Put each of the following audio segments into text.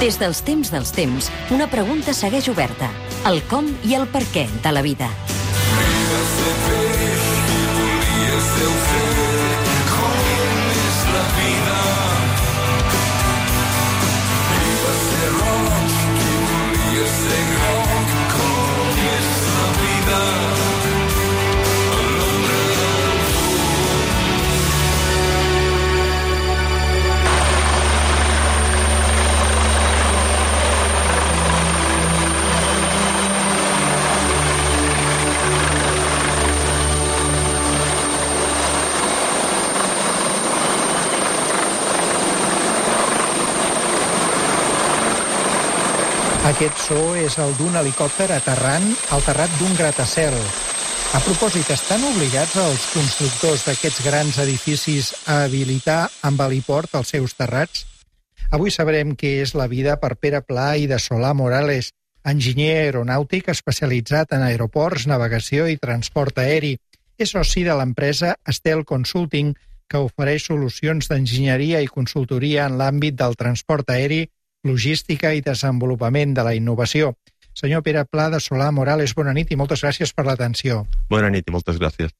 Des dels temps, una pregunta segueix oberta. El com i el per què de la vida. Aquest so és el d'un helicòpter aterrant al terrat d'un gratacel. A propòsit, estan obligats els constructors d'aquests grans edificis a habilitar amb heliport els seus terrats? Avui sabrem què és la vida per Pere Pla i de Solà Morales, enginyer aeronàutic especialitzat en aeroports, navegació i transport aeri. És soci de l'empresa Estel Consulting, que ofereix solucions d'enginyeria i consultoria en l'àmbit del transport aeri, logística i desenvolupament de la innovació. Senyor Pere Pla de Solà Morales, bona nit i moltes gràcies per l'atenció. Bona nit i moltes gràcies.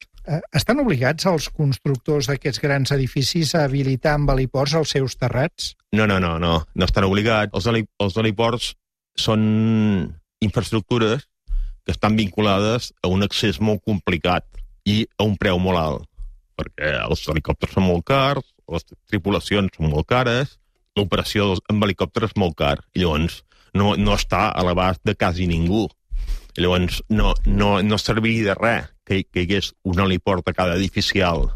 Estan obligats els constructors d'aquests grans edificis a habilitar amb heliports els seus terrats? No estan obligats. Els heliports són infraestructures que estan vinculades a un accés molt complicat i a un preu molt alt, perquè els helicòpters són molt cars, les tripulacions són molt cares, l'operació amb helicòpters és molt car, i llavors no està a l'abast de quasi ningú. I llavors no serviria de res que hi hagués un heliport a cada edifici alt.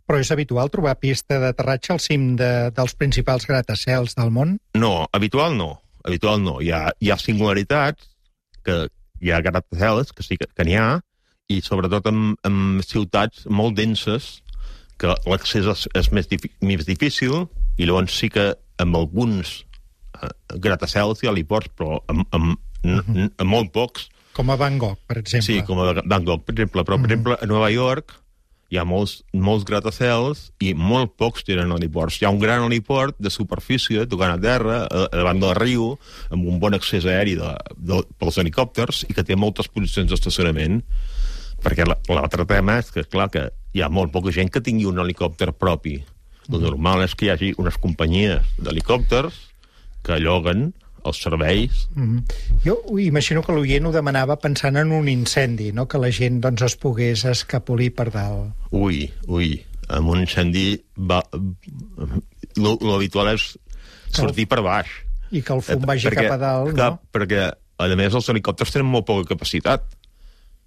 Però és habitual trobar pista d'aterratge al cim dels principals gratacels del món? No, habitual no. Hi ha singularitats, que hi ha gratacels, que sí que n'hi ha, i sobretot en ciutats molt denses, que l'accés és més difícil, i llavors sí que amb alguns gratacels i heliports, però amb molt pocs. Com a Bangkok, per exemple. Sí, com a Bangkok, per exemple. Però, per exemple, a Nova York hi ha molts gratacels i molt pocs tenen heliports. Hi ha un gran heliport de superfície, tocant a terra, davant del riu, amb un bon accés aeri pels helicòpters i que té moltes posicions d'estacionament. Perquè l'altre tema és que, clar, que hi ha molt poca gent que tingui un helicòpter propi. El normal és que hi hagi unes companyies d'helicòpters que lloguen els serveis. Jo imagino que l'oient ho demanava pensant en un incendi, no? Que la gent es pogués escapolir per dalt. Ui, amb un incendi l'habitual és sortir per baix. I que el fum vagi cap a dalt, no? Perquè, a més, els helicòpters tenen molt poca capacitat.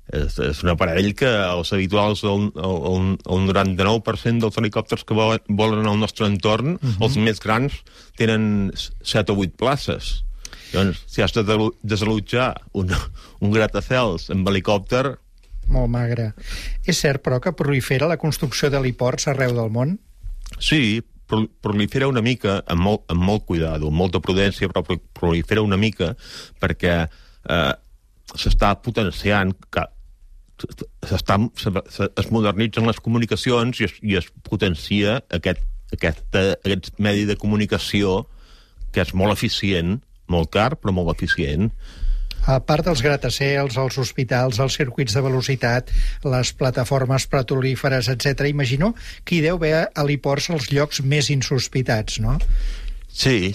És un aparell que els habituals, el 99% dels helicòpters que volen al nostre entorn, els més grans, tenen 7 o 8 places. Llavors, si has de desallotjar un gratacels amb helicòpter... Molt magre. És cert, però, que prolifera la construcció d'heliports arreu del món? Sí, prolifera una mica, amb molt cuidado, amb molta prudència, però prolifera una mica perquè s'està potenciant, es modernitzen les comunicacions i es potencia aquest medi de comunicació que és molt eficient, molt car, però molt eficient. A part dels gratacels, els hospitals, els circuits de velocitat, les plataformes petrolíferes, etc., imagino que hi deu haver heliports als llocs més insospitats, no? Sí.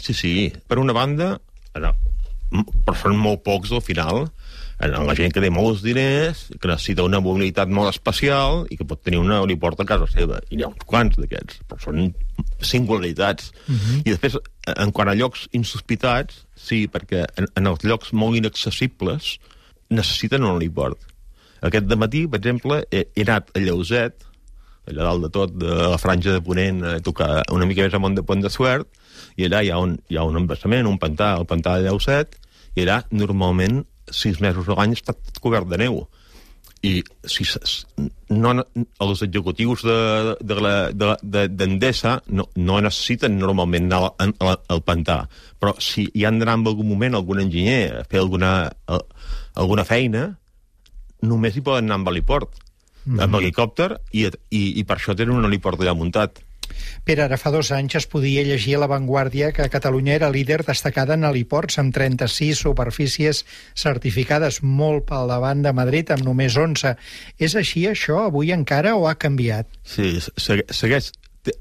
Per una banda, però són molt pocs al final. La gent que té molts diners, que necessita una mobilitat molt especial i que pot tenir un heliport a casa seva. I hi ha uns quants d'aquests, però són singularitats. I després, en quant a llocs insospitats, sí, perquè en els llocs molt inaccessibles necessiten un heliport. Aquest dematí, per exemple, he anat a Lleuset, allà dalt de tot, de la franja de Ponent, a tocar una mica més amunt de Pont de Suert, i allà hi ha un embassament, un pantà, el pantà de Lleuset, i allà normalment 6 mesos a l'any està cobert de neu. I els executius d'Endesa no necessiten normalment anar al pantà, però si hi han d'anar en algun moment algun enginyer a fer alguna feina, només hi poden anar amb heliport, amb helicòpter, i per això tenen un heliport allà muntat. Pere, ara fa 2 anys es podia llegir a La Vanguardia que Catalunya era líder destacada en heliports, amb 36 superfícies certificades, molt pel davant de Madrid, amb només 11. És així això avui encara o ha canviat? Sí, segueix,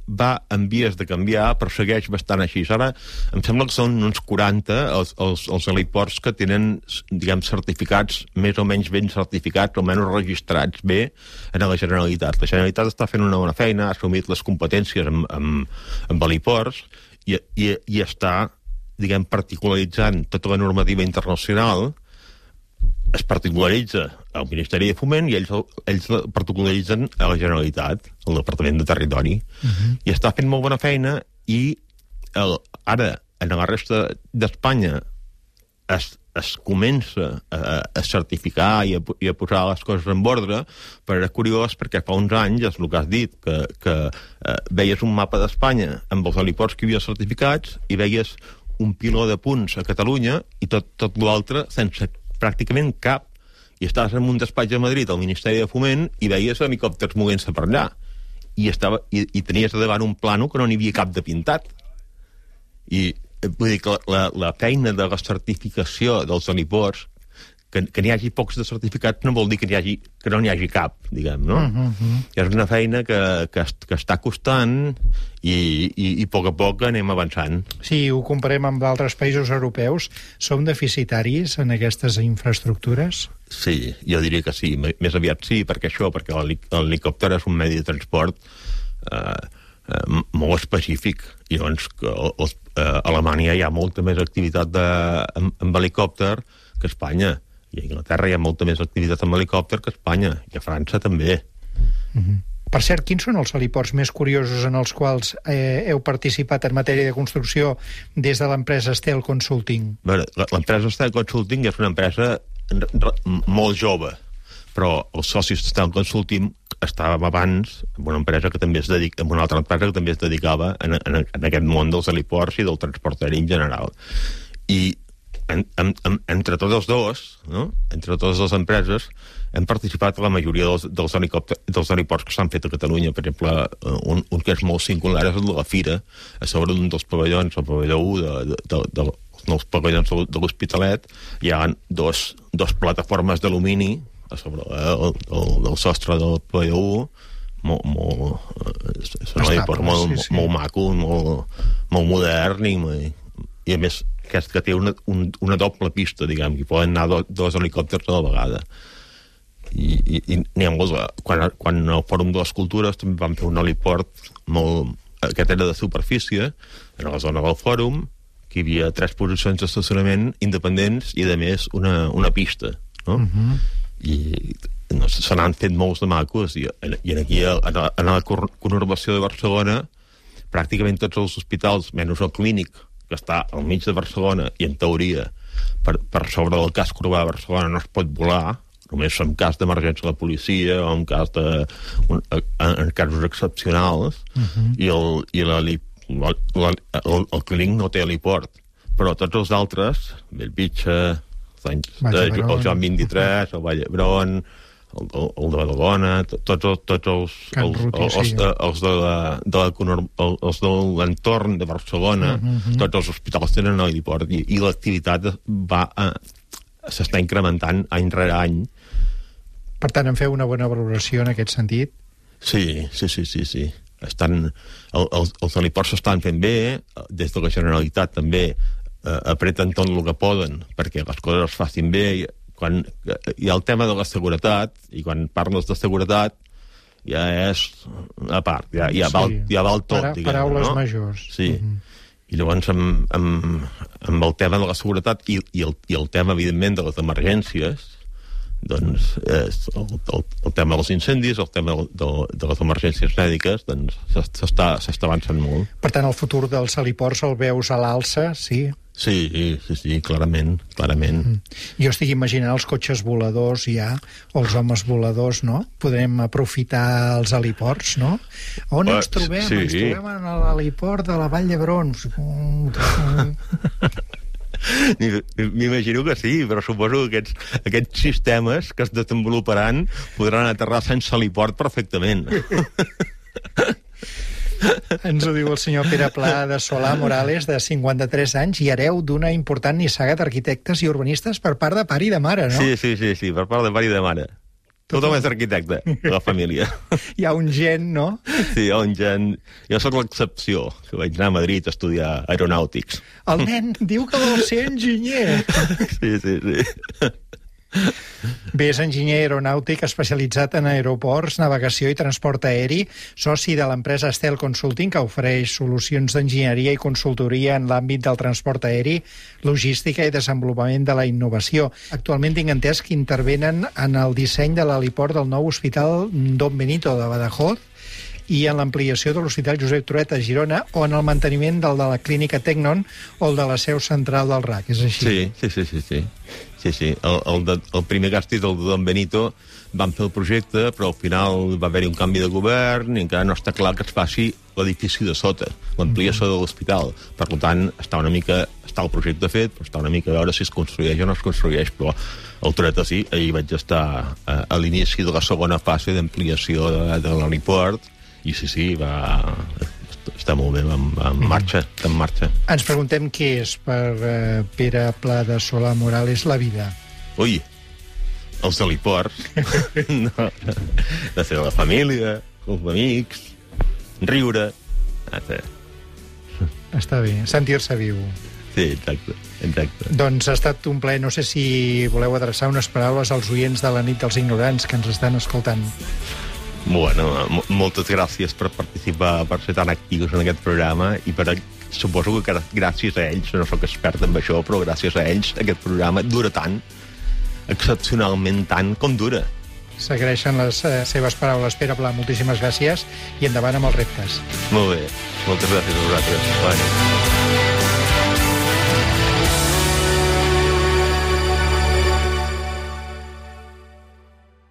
va en vies de canviar, però segueix bastant així. Ara em sembla que són uns 40 els heliports que tenen, diguem, certificats, més o menys ben certificats, o menys registrats bé en la Generalitat. La Generalitat està fent una bona feina, ha assumit les competències amb heliports i està, diguem, particularitzant tota la normativa internacional. Es particularitza al Ministeri de Foment i ells particularitzen a la Generalitat, al Departament de Territori. I està fent molt bona feina i ara, en la resta d'Espanya, es comença a certificar i a posar les coses en ordre, però era curiós perquè fa uns anys, és el que has dit, que veies un mapa d'Espanya amb els heliports que hi havia certificats i veies un piló de punts a Catalunya i tot l'altre sense pràcticament cap, i estaves en un despatx a Madrid, al Ministeri de Foment, i veies helicòpters movent-se per allà. I tenies davant un plano que no n'hi havia cap de pintat. I vull dir que la feina de la certificació dels heliports, que n'hi hagi pocs de certificats no vol dir que no n'hi hagi cap, diguem, no? És una feina que està costant i a poc anem avançant. Si ho comparem amb altres països europeus, som deficitaris en aquestes infraestructures? Sí, jo diria que sí. Més aviat sí, perquè l'helicòpter és un medi de transport molt específic. I llavors a Alemanya hi ha molta més activitat amb helicòpter que a Espanya. I a Anglaterra hi ha molta més activitat amb helicòpter que a Espanya, i a França també. Per cert, quins són els heliports més curiosos en els quals heu participat en matèria de construcció des de l'empresa Estel Consulting? L'empresa Estel Consulting és una empresa molt jove, però els socis d'Estel Consulting estàvem abans en una empresa que també en una altra empresa que també es dedicava en aquest món dels heliports i del transport aeri en general. I entre tots els dos, no? Entre totes les empreses, hem participat a la majoria dels heliports que s'han fet a Catalunya. Per exemple, un que és molt singular és el de la Fira, a sobre d'un dels pavellons, el pavelló 1 dels pavellons de l'Hospitalet, hi ha dos plataformes d'alumini a sobre del sostre del pavelló 1, és un heliport molt maco, molt modern i a més que té una doble pista, diguem, que poden anar dos helicòpters a la vegada. I n'hi ha molts. Quan al Fòrum de les Cultures també vam fer un heliport aquest era de superfície, en la zona del Fòrum, que hi havia 3 posicions d'estacionament independents i, a més, una pista, no? I se n'han fet molts de macos, i aquí, en la conurbació de Barcelona, pràcticament tots els hospitals, menys el Clínic, que està al mig de Barcelona, i en teoria per sobre del casc urbà de Barcelona no es pot volar, només en cas d'emergència de la policia o en casos excepcionals, i el Clínic no té heliport, però tots els altres, Bellvitge, el Joan 23, el Vall d'Hebron, el de Badalona, tots els de l'entorn de Barcelona, tots els hospitals tenen heliport, i l'activitat s'està incrementant any rere any. Per tant, en feu una bona valoració en aquest sentit? Sí. Els heliports s'estan fent bé, des de la Generalitat també apreten tot el que poden perquè les coses es facin bé. Quan hi ha el tema de la seguretat, i quan parles de seguretat ja és a part, ja val tot, diguem, paraules no? majors. Sí. I llavors amb el tema de la seguretat i el tema, evidentment, de les emergències, doncs el tema dels incendis, el tema de les emergències mèdiques, doncs s'està avançant molt. Per tant, el futur dels heliports el veus a l'alça, sí? Sí, clarament. Jo estic imaginant els cotxes voladors ja, o els homes voladors, no? Podem aprofitar els heliports, no? On ens trobem? Sí. Ens trobem en l'heliport de la Vall d'Hebron. M'imagino que sí, però suposo que aquests sistemes que es desenvoluparan podran aterrar sense heliport perfectament. Ens ho diu el senyor Pere Pla de Solà Morales, de 53 anys, i hereu d'una important nissaga d'arquitectes i urbanistes per part de pare i de mare, no? Sí, per part de pare i de mare. Tothom és arquitecte, de la família. Hi ha un gen, no? Sí, hi ha un gen... Jo sóc l'excepció, que vaig anar a Madrid a estudiar aeronàutics. El nen diu que vol ser enginyer. Sí. Bé, és enginyer aeronàutic especialitzat en aeroports, navegació i transport aeri, soci de l'empresa Estel Consulting, que ofereix solucions d'enginyeria i consultoria en l'àmbit del transport aeri, logística i desenvolupament de la innovació. Actualment tinc entès que intervenen en el disseny de l'heliport del nou hospital Don Benito de Badajoz i en l'ampliació de l'Hospital Josep Trueta a Girona o en el manteniment del de la clínica Tecnon o el de la seu central del RAC, és així? Sí. El primer càstig del Don Benito van fer el projecte, però al final va haver-hi un canvi de govern i encara no està clar que es faci l'edifici de sota, l'ampliació de l'hospital. Per tant, està el projecte fet, però està una mica a veure si es construeix o no es construeix, però el Trueta sí, ahir vaig estar a l'inici de la segona fase d'ampliació de l'heliport i sí, està molt bé, va en marxa, està en marxa. Ens preguntem què és per Pere Pla de Solà Morales la vida. Ui, els heliports, no, de ser la família, els amics, riure... Està bé, sentir-se viu. Sí, exacte. Doncs ha estat un plaer. No sé si voleu adreçar unes paraules als oients de la nit dels ignorants que ens estan escoltant. Bueno, moltes gràcies per participar, per ser tan actius en aquest programa i suposo que gràcies a ells, no sóc expert en això, però gràcies a ells aquest programa dura tant, excepcionalment tant com dura. S'agraeixen les seves paraules, Pere Pla. Moltíssimes gràcies i endavant amb els reptes. Molt bé, moltes gràcies a vosaltres. Bona nit.